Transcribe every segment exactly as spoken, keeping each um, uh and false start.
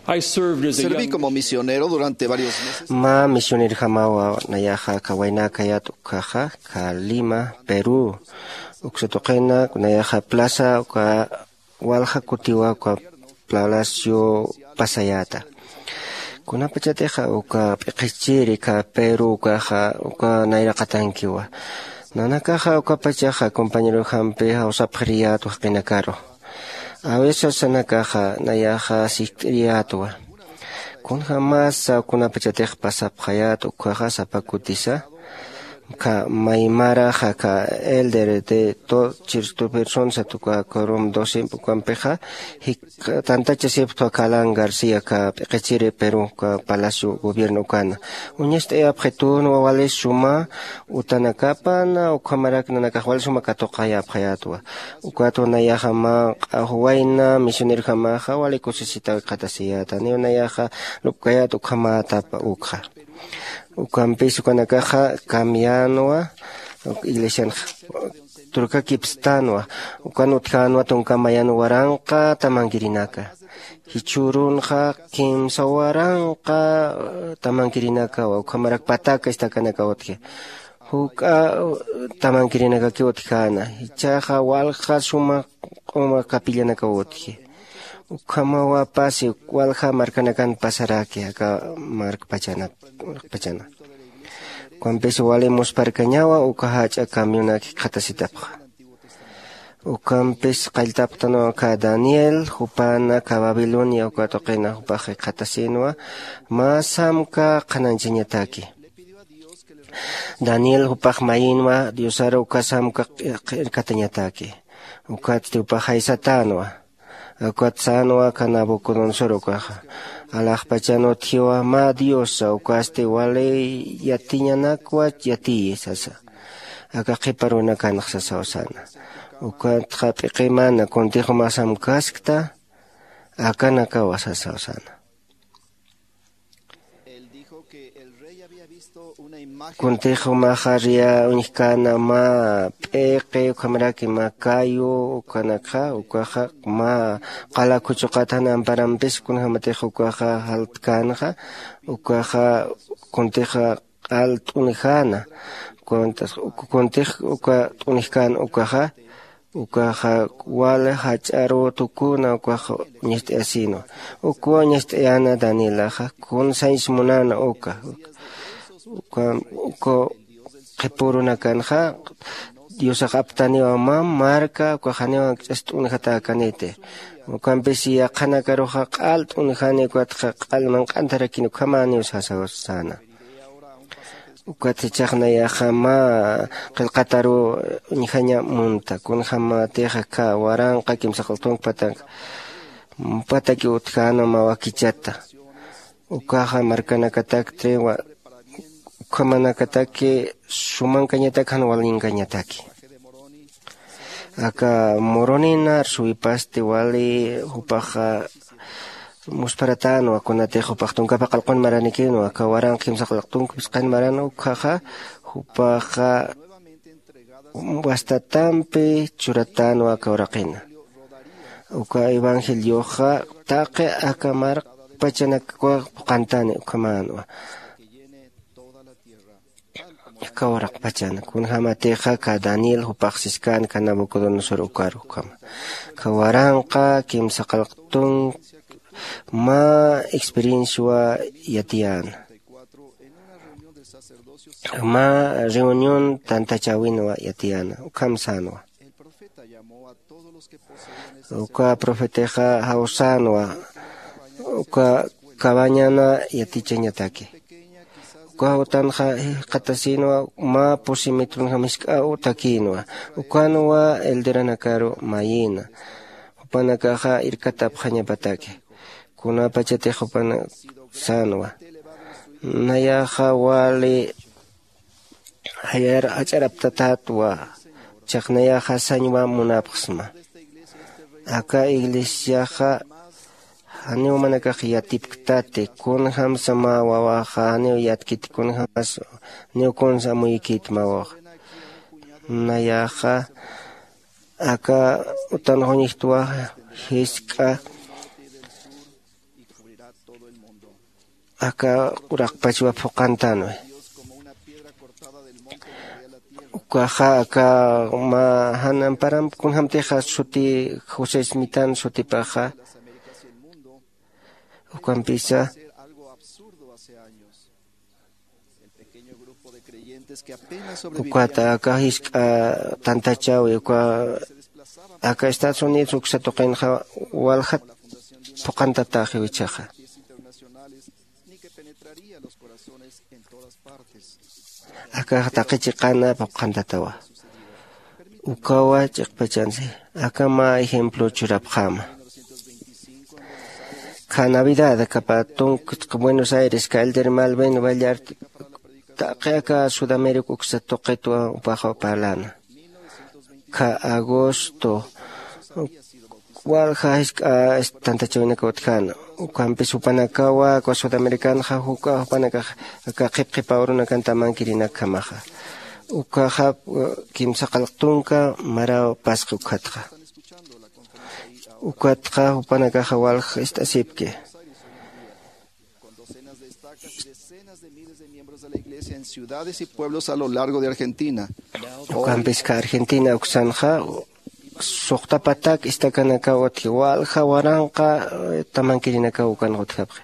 Serví como misionero durante varios meses. Mä misionirjamawa nayaxa aka waynäkayät ukkhaxa, aka Lima, Perú. Uksa tuqina nayaxa plaza uka walja kutiwa uka Palacio pasayäta. Kunapachatixa uka p'iqichiri aka Perú ukaxa uka nayraqatankiwa. Nanakaxa ukapachaxa compañerojampi jawsapxiriyätwa jaqinakaru. A veces nanakaxa nayaxa sikt'iriyätwa. Kunjämasa kunapachatix pasapxayät ukkhaxa sapa kutisa, aka maymaraxa aka elder de to chirstupirsonsat uka corum doce ukampixa jik tantachasipxtwa aka Alan García aka p'iqichiri Perú aka Palacio Gobierno ukana. Uñast'ayapxitünwa wali suma utanakapana ukhamarak nanakax wali suma katuqayapxayätwa. Ukatwa nayaxa mä q'axwayna misionerjamaxa wali kusisitaw jikxatasiyäta, niw nayaxa lupkayät ukhamätapa ukxa. Ukampis ukanakaxa cambiänwa, iglesianx turkakipstänwa. Ukan utjänwa tunka mayan waranqa tamankirinaka. Jichhürunxa kimsa waranqa tamankirinakawa ukhamarak pataka istakanakaw utji. Juk'a tamankirinakakiw utjäna. Jichhaxa walja suma q'uma capillanakaw utji. Ukhamawapasi walja markanakan pasaraki aka markpachana. Ukampis wali muspharkañawa uka jach'a camionak jikxatasitapxa. Ukampis qalltapxtanwa aka Daniel, jupana aka Babilonia uka tuqina jupax jikxatasïnwa mä samka qhanañchañataki. Daniel jupax mayïnwa Diosaru uka samka q'irkatañataki. Ukatsti jupax jaysatänwa. Ukat sänwa aka Nabucodonosor ukaxa. Alaxpachan utjiwa mä diosa ukasti wali yatiñanakwa yatiyi sasa. Aka qhipa runakanx sasaw säna. Ukatxa p'iqimana kuntix jumax samkaskta akanakawa sasaw säna. Kuntix jumaxa riya uñjkäna mä p'iqi ukhamaraki mä kayu ukanakxa ukaxa mä qala khuchuqat jan amparampis kunjämatix ukaxa jaltkänxa. Ukaxa kuntixa q'al t'unjäna. Kuntix uka t'unjkän ukaxa ukaxa wal jach'aru tukuna ukaxa uñast'ayasïnwa. Ukwa uñast'ayäna danielaxa kun sañs munäna uka. Uka uka qhipürunakanxa diosax aptaniwa mä marka ukax janiw jankch'as t'unjatäkaniti. Ukampis yaqhanakaruxa q'al t'unjani ukatxa q'al manq'antarakini ukhamäniw sasaw säna. Ukat jichhax nayaxa mä qillqataruw uñjaña munta kunjämatix aka waranqa kimsa qillqatunk patanka mpataki utjänwa mä wakichata. Ukaxa markanakatakti ukhamanakataki sumankañatak jan walinkañataki. Aka moronina arsuwipasti wali jupaxa muspharatänwa kunatix jupax tunkapa qillqun maranikinwa aka waranqa kimsa qillqatunk phisqan maran ukkhaxa jupaxa wastatampi churatänwa aka uraqina. Uka evangelioxa taqi aka markpachanak phuqhantani ukhamänwa. Aka uraqpachan kunjämatixa aka daniel jupax siskäna aka nabucodonosor ukaru ukhama aka waranqa kimsa qillqatunk mä experienciawa yatiyäna. Mä reunión tantachäwinwa yatiyäna ukham sänwa. Uka profetixa jawsänwa uka cabañana yatichañataki. Uka jutanxa jikxatasïnwa mä pusi mitrunxa misk'aw takïnwa. Ukanwa elderanakaru mayïna jupanakaxa irkatapxañapataki. Kunapachatix jupanak sänwa nayaxa wali jach'araptatätwa. Chaqnayaxa sañwa munapxsma. Aka iglesiaxa janiw manakax yatipktati kunjämsa mä wawaxa janiw yatkiti kunjämas niw kunsa amuyikiti mä wawaxa. Nayaxa aka utanxuñjtwa jisk'a aka uraqpachwa phuqantanwi. Ukaxa aka mä jan amparam kunjämtixa suti José Smithan sutipaxa, ukampisa ukat aka jisk'a tantachäwi uka aka Estados Unidos uksa tuqinxa walja phuqantatäxiw ichhaxa. Akax taqi chiqana phuqantatawa. Ukawa ch'iqpachansi aka mä ejemplo churapxäma. Kha Navidad aka pä tunk Buenos Aires, kha Elder Malvin Ballart taqi aka Sudamérica uksa tuqitwa jupaxa parläna. Kha agosto walja jisk'a tantachäwinakaw utjäna. Ukhampis jupanakawa aka Sudamericanxa juk'a jupanakax aka qhipqhipa urunakan tamankirinak jamaxa. Ukaxa kimsa qallq tunka maraw pasqi ukhatxa. Ukatxa jupanakaxa walja ist'asipki. Con docenas de estacas y decenas de miles de miembros de la iglesia en ciudades y pueblos a lo largo de Argentina. Ukampis kha Argentina uksanxa suxta patak istakanakaw utji walja waranqa tamankirinakaw ukanxa utjapxi.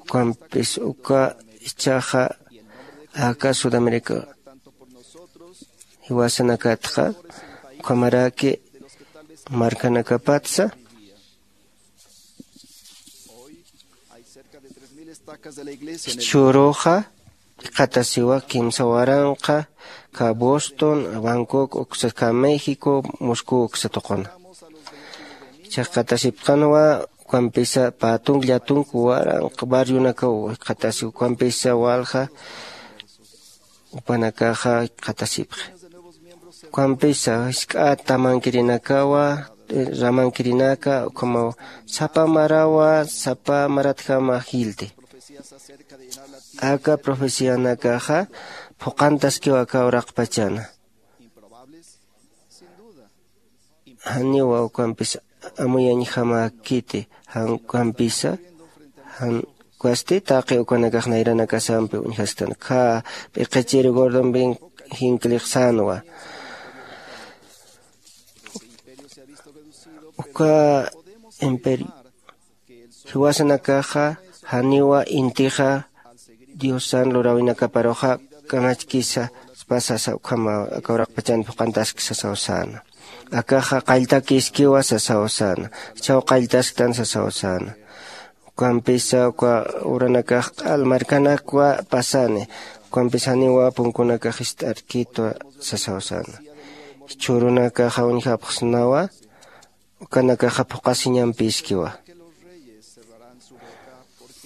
Ukampis uka ichhaxa aka Sudamérica jiwasanakatxa ukhamaraki markanakapatsa. Jichhüruxa jikxatasiwa kimsa waranqa kha Boston, Bangkok uksa kha México, Moscú uksa tuquna. Jichhax jikxatasipxänwa ukampisa pä tunk llatunk waranqa barrionakaw jikxatasi ukampisa walja jupanakaxa jikxatasipxi. Ukampisa jisk'a tamankirinakawa ramankirinaka ukhamaw sapa marawa sapa maratjama jilti. Aka profecianakaxa phuqantaskiw aka uraqpachana. Janiwa ukampis amuyañjamäkiti jan ukampisa jan ukasti taqi ukanakax nayranakasampi uñjasktan kha p'iqichir gordon bin jinklixsänwa. Uka imperio jiwasanakaxa janiwa intixa diosan luräwinakaparuxa kamachkisa pasasa ukhama aka uraqpachan phuqantaski sasaw säna. Akaxa qalltakiskiwa sasaw säna. Jichhaw qalltasktan sasaw säna. Ukampisa uka uranakax q'al markanakwa pasani. Ukampisa janiwa punkunakax jist'arkitwa sasaw säna. Jichhürunakaxa uñjapxsnawa ukanakaxa phuqasiñampiskiwa.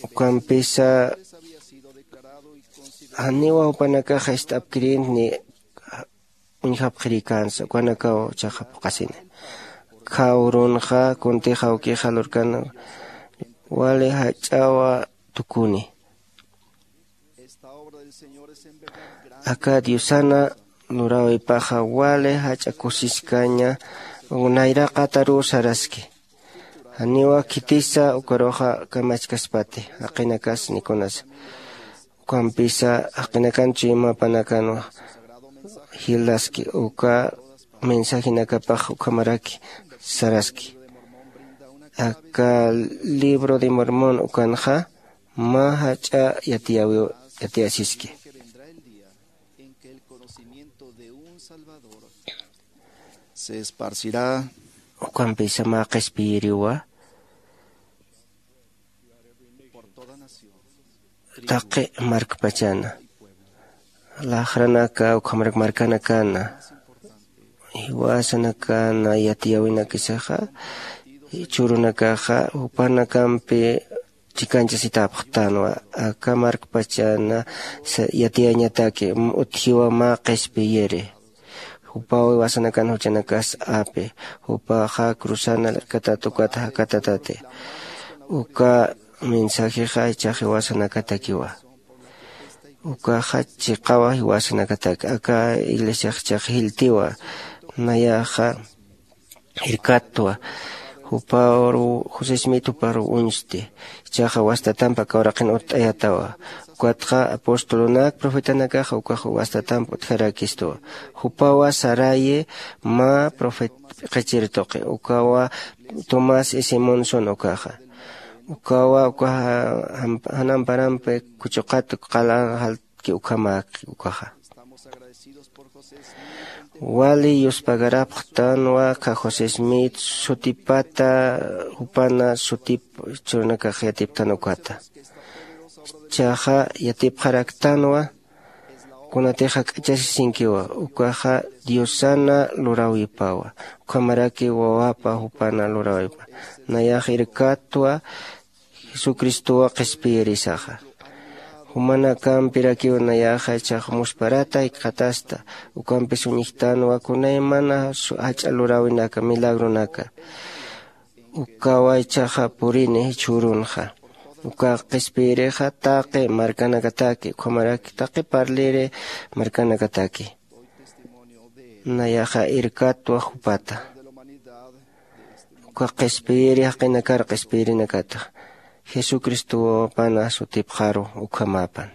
Ukampisa janiwa jupanakaxa ist'apkirïnti ni uñjapxirïkänsa ukanakaw jichhaxa phuqasini. Kha urunxa kuntix awkixa lurkan wali jach'awa tukuni. Aka diosana luräwipaxa wali jach'a kusiskaña nayraqataruw saraski. Janiwa khitisa ukaruxa kamachkaspati jaqinakas nikunasa. Ukampisa jaqinakan chuymapanakanwa jilaski uka mensajinakapax ukhamaraki saraski. Aka libro de Mormón ukanxa mä jach'a yatiyäwiw yatiyäsiski. En que el conocimiento de un Salvador se esparcirá. Ukampisa mä qhispiyiriwa taqi markpachana laxranaka ukhamarak markanakana jiwasanakana yatiyäwinakisaxa churunakaxa jupanakampi chikañchasitäpxtanwa. Aka markpachana yatiyañataki utjiwa mä qhispiyiri. Jupaw jiwasanakan juchanakas api jupaxa cruzana lirkatat ukat jakatatati. Uka mensajexa jichhax jiwasanakatakiwa. Ukaxa chiqawa jiwasanakataki aka iglesiax jichhax jiltiwa. Nayaxa jirkattwa Juparu josesmit juparu uñsti. Ichaxa wastatampa kawraqin utt'ayatawa. Ukatxa apostolunak profetanakaxa ukax wastatampa utjarakistwa. Jupawa saraye mä profet q'ichir tuqi ukawa tomás y simonson ukaxa. Ukawa ukaxa janamparampi kuchuqat qala jaltki ukhamäki ukaxa. Wali yuspagarapxtanwa kha josé smith sutipata jupana sutip churunakax yatiptan ukata. Chaxa yatipxaraktanwa kunatix jak'achasisinkiwa ukaxa diosana luräwipawa. Ukhamaraki wawapa jupana luräwipa nayax irkatwa jesucristowa qhispiyirisaxa. Jumanakampi rakiw nayaxa ichax musparata jikxatasta. Ukampis uñjtanwa kunaymana jach'a luräwinaka milagronaka ukawa ichaxa purini jichhürunxa. Ukax qhispiyirixa taqi markanakataki ukhamaraki taqi parliri markanakataki. Nayaxa irkatwa jupata uka qhispiyiri jaqinakar qhispiyirinakata jesucristo wawapana sutipxaru. Ukhamäpan